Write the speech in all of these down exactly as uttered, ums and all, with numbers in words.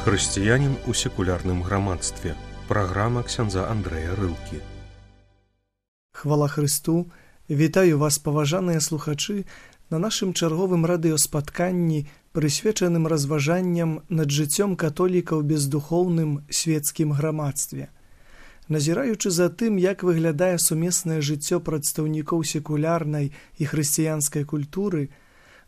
Хрысціянін у секулярным грамадстве. Праграма ксяндза Андрэя Рылкі. Хвала Хрысту! Вітаю вас, паважаныя слухачы, на нашым чарговым радыёспатканні, прысвечаным разважанням над жыццём католіка ў бездухоўным свецкім грамадстве. Назіраючы за тым, як выглядае сумеснае жыццё прадстаўнікоў секулярнай і хрысціянскай культуры,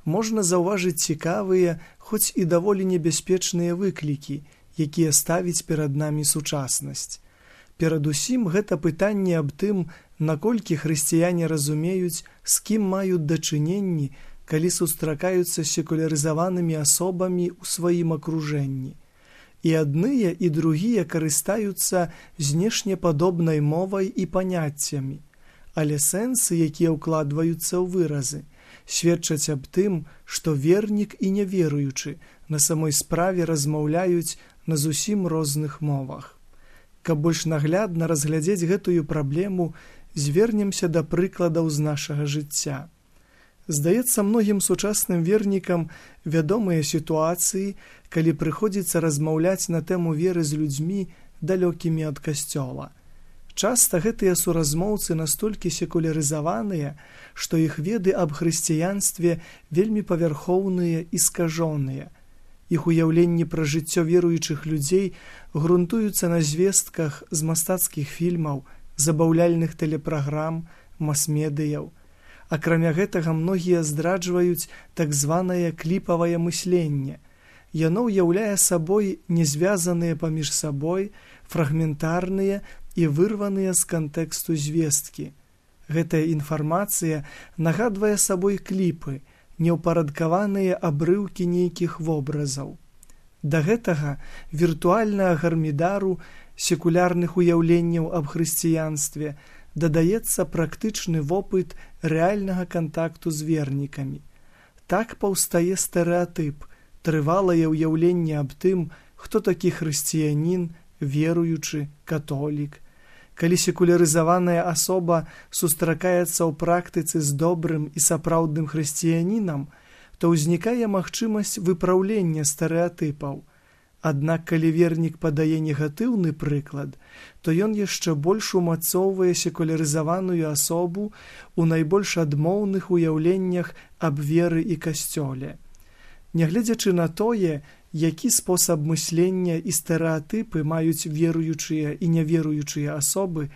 можна заўважыць цікавыя, хоць і даволі небяспечныя выклікі, якія ставіць перад намі сучаснасць. Перадусім, гэта пытанне аб тым, наколькі хрысціяне разумеюць, з кім маюць дачыненні, калі сустракаюцца з секулярызаванымі асобамі ў сваім акружэнні. І адныя, і другія карыстаюцца знешнепадобнай мовай і паняццямі, але сэнсы, якія ўкладваюцца ў выразы, сведчаць аб тым, што вернік і няверуючы на самой справе размаўляюць на зусім розных мовах. Каб больш наглядна разглядзець гэтую праблему, звернемся да прыкладаў з нашага жыцця. Здаецца, многім сучасным вернікам вядомыя сітуацыі, калі прыходзіцца размаўляць на тэму веры з людзьмі, далёкімі ад касцёла. Часта гэтыя суразмоўцы настолькі секулярызаваныя, што іх веды аб хрысціянстве вельмі павярхоўныя і скажоныя. Іх уяўленні пра жыццё веруючых людзей грунтуюцца на звестках з мастацкіх фільмаў, забаўляльных тэлепраграм, мас-медыяў. Акрамя гэтага, многія здраджваюць так званае кліпавае мысленне. Яно ўяўляе сабой незвязаныя паміж сабой, фрагментарныя і вырваныя з кантэксту звесткі. Гэтая інфармацыя нагадвае сабой кліпы, неўпарадкаваныя абрыўкі нейкіх вобразаў. Да гэтага віртуальнага гармідару секулярных уяўленняў аб хрысціянстве дадаецца практычны вопыт рэальнага кантакту з вернікамі. Так паўстае стэрэатып, трывалае ўяўленне аб тым, хто такі хрысціянін, веруючы, католік. Калі секулярызаваная асоба сустракаецца ў практыцы з добрым і сапраўдным хрысціянінам, то ўзнікае магчымасць выпраўлення стэрэатыпаў. Аднак, калі вернік падае негатыўны прыклад, то ён яшчэ больш умацоўвае секулярызаваную асобу ў найбольш адмоўных уяўленнях аб веры і касцёле. Нягледзячы на тое, які спосаб мыслення і стэрэатыпы маюць веруючыя і няверуючыя асобы,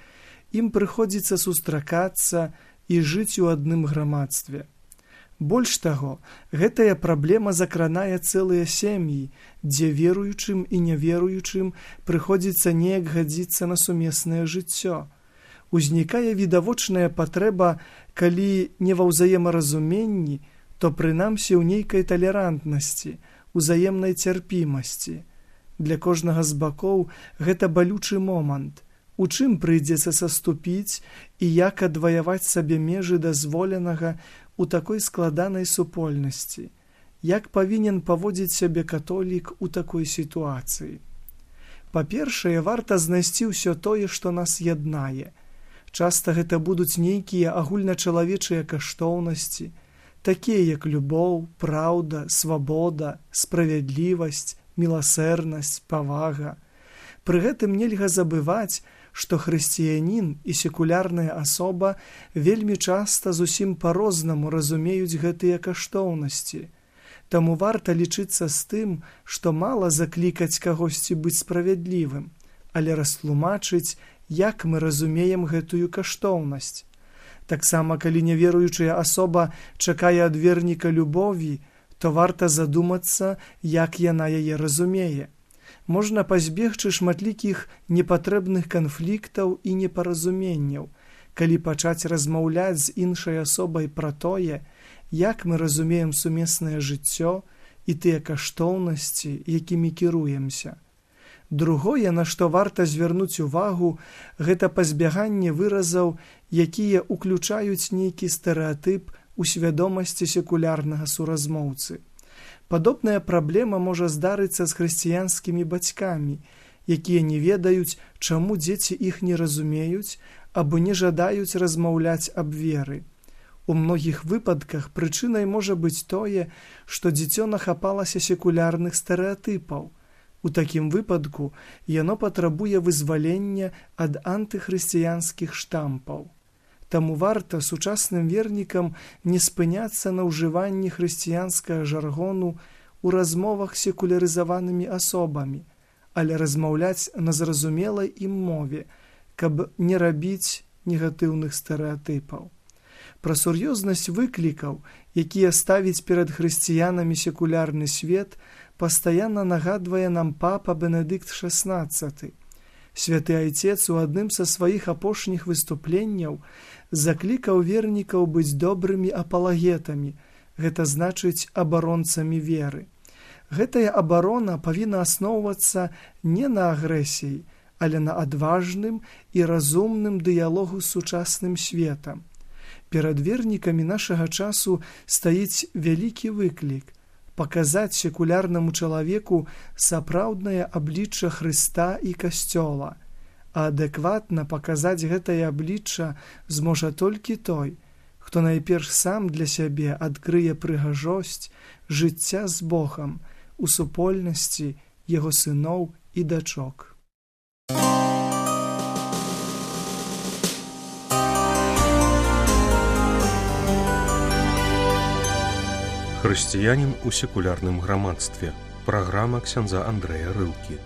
ім прыходзіцца сустракацца і жыць у адным грамадстве. Больш таго, гэтая праблема закранае цэлыя сям'і, дзе веруючым і няверуючым прыходзіцца неяк гадзіцца на сумеснае жыццё. Узнікае відавочная патрэба, калі не ва ўзаемаразуменні, то прынамсі ў нейкай талерантнасці, узаемнай цярпімасці. Для кожнага з бакоў гэта балючы момант, у чым прыйдзецца саступіць і як адваяваць сабе межы дазволенага у такой складанай супольнасці, як павінен паводзіць сябе католік у такой сітуацыі. Па-першае, варта знайсці ўсё тое, што нас яднае. Часта гэта будуць нейкія агульначалавечыя каштоўнасці, такія як любоў, праўда, свабода, справядлівасць, міласэрнасць, павага. Пры гэтым нельга забываць, што хрысціянін і секулярная асоба вельмі часта зусім па-рознаму разумеюць гэтыя каштоўнасці. Таму варта лічыцца з тым, што мала заклікаць кагосьці быць справядлівым, але растлумачыць, як мы разумеем гэтую каштоўнасць. Таксама, калі няверуючая асоба чакае ад верніка любові, то варта задумацца, як яна яе разумее. Можна пазбегчы шматлікіх непатрэбных канфліктаў і непаразуменняў, калі пачаць размаўляць з іншай асобай пра тое, як мы разумеем сумеснае жыццё і тыя каштоўнасці, якімі кіруемся. Другое, на што варта звярнуць увагу, гэта пазбяганне выразаў, якія ўключаюць нейкі стэрэатып у свядомасці секулярнага суразмоўцы. Падобная праблема можа здарыцца з хрысціянскімі бацькамі, якія не ведаюць, чаму дзеці іх не разумеюць або не жадаюць размаўляць аб веры. У многіх выпадках прычынай можа быць тое, што дзіцё нахапалася секулярных стэрэатыпаў. У такім выпадку яно патрабуе вызвалення ад антыхрысціянскіх штампаў. Таму варта сучасным вернікам не спыняцца на ўжыванні хрысціянскага жаргону ў размовах з секулярызаванымі асобамі, але размаўляць на зразумелай ім мове, каб не рабіць негатыўных стэрэатыпаў. Пра сур'ёзнасць выклікаў, якія ставіць перад хрысціянамі секулярны свет, пастаянна нагадвае нам папа Бенедыкт шаснаццаты. Святы Айцец у адным са сваіх апошніх выступленняў заклікаў вернікаў быць добрымі апалагетамі, гэта значыць абаронцамі веры. Гэтая абарона павінна асноўвацца не на агрэсіі, але на адважным і разумным дыялогу з сучасным светам. Перад вернікамі нашага часу стаіць вялікі выклік – паказаць секулярнаму чалавеку сапраўднае аблічча Хрыста і Касцёла, а адэкватна паказаць гэтае аблічча зможа толькі той, хто найперш сам для сябе адкрые прыгажосць жыцця з Богам у супольнасці яго сыноў і дачок. Хрысціянін у секулярным грамадстве. Праграма ксяндза Андрэя Рылкі.